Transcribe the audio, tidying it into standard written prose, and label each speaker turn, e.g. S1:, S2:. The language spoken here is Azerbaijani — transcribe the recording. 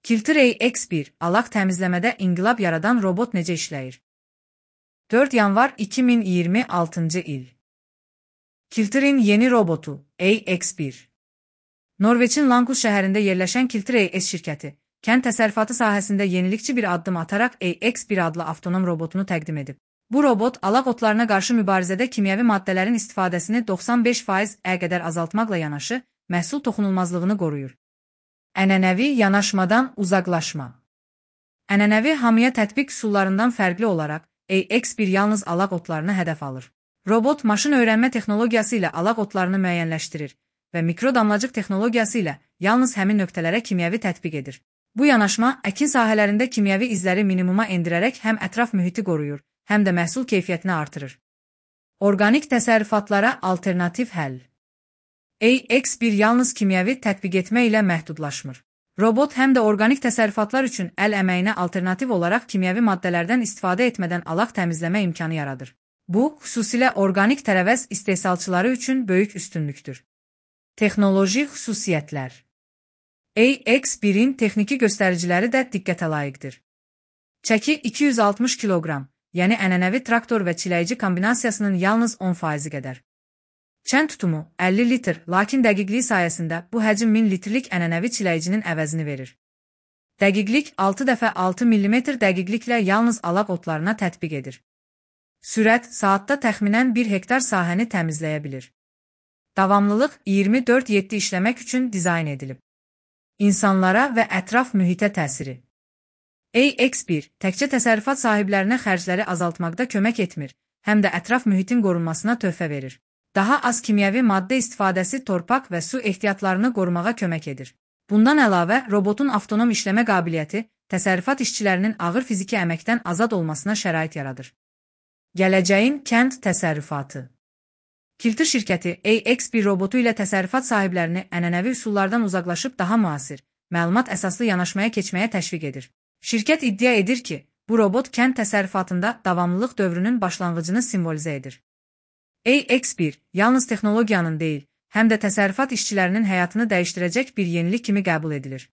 S1: Kilter AX1 alaq təmizləmədə inqilab yaradan robot necə işləyir? 4 yanvar 2026 il. Kilter'in yeni robotu AX1. Norveçin Lankus şəhərində yerləşən Kilter AS şirkəti, kənd təsərrüfatı sahəsində yenilikçi bir addım ataraq AX1 adlı avtonom robotunu təqdim edib. Bu robot alaq otlarına qarşı mübarizədə kimyəvi maddələrin istifadəsini 95% qədər azaltmaqla yanaşı, məhsul toxunulmazlığını qoruyur. Ənənəvi yanaşmadan uzaqlaşma. Ənənəvi hamıya tətbiq üsullarından fərqli olaraq, AX1 yalnız alaq otlarını hədəf alır. Robot maşın öyrənmə texnologiyası ilə alaq otlarını müəyyənləşdirir və mikrodamlacıq texnologiyası ilə yalnız həmin nöqtələrə kimyəvi tətbiq edir. Bu yanaşma, əkin sahələrində kimyəvi izləri minimuma endirərək həm ətraf mühiti qoruyur, həm də məhsul keyfiyyətini artırır. Orqanik təsərrüfatlara alternativ həll. AX1 yalnız kimyəvi tətbiq etmə ilə məhdudlaşmır. Robot həm də orqanik təsərrüfatlar üçün əl əməyinə alternativ olaraq kimyəvi maddələrdən istifadə etmədən alaq təmizləmə imkanı yaradır. Bu, xüsusilə orqanik tərəvəz istehsalçıları üçün böyük üstünlükdür. Texnoloji xüsusiyyətlər. AX1-in texniki göstəriciləri də diqqətə layiqdir. Çəki 260 kiloqram, yəni ənənəvi traktor və çiləyici kombinasiyasının yalnız 10% qədər. Çən tutumu 50 litr, lakin dəqiqliyi sayəsində bu həcm 1000 litrlik ənənəvi çiləyicinin əvəzini verir. Dəqiqlik 6x6 mm dəqiqliklə yalnız alaq otlarına tətbiq edir. Sürət saatda təxminən 1 hektar sahəni təmizləyə bilir. Davamlılıq 24/7 işləmək üçün dizayn edilib. İnsanlara və ətraf mühitə təsiri. AX1 təkcə təsərrüfat sahiblərinə xərcləri azaltmaqda kömək etmir, həm də ətraf mühitin qorunmasına töhfə verir. Daha az kimyəvi maddə istifadəsi torpaq və su ehtiyatlarını qorumağa kömək edir. Bundan əlavə, robotun avtonom işləmə qabiliyyəti təsərrüfat işçilərinin ağır fiziki əməkdən azad olmasına şərait yaradır. Gələcəyin kənd təsərrüfatı. Kilter şirkəti AX1 robotu ilə təsərrüfat sahiblərini ənənəvi üsullardan uzaqlaşıb daha müasir, məlumat əsaslı yanaşmaya keçməyə təşviq edir. Şirkət iddia edir ki, bu robot kənd təsərrüfatında davamlılıq dövrünün başlanğıcını simvolizə edir. AX1 yalnız texnologiyanın deyil, həm də təsərrüfat işçilərinin həyatını dəyişdirəcək bir yenilik kimi qəbul edilir.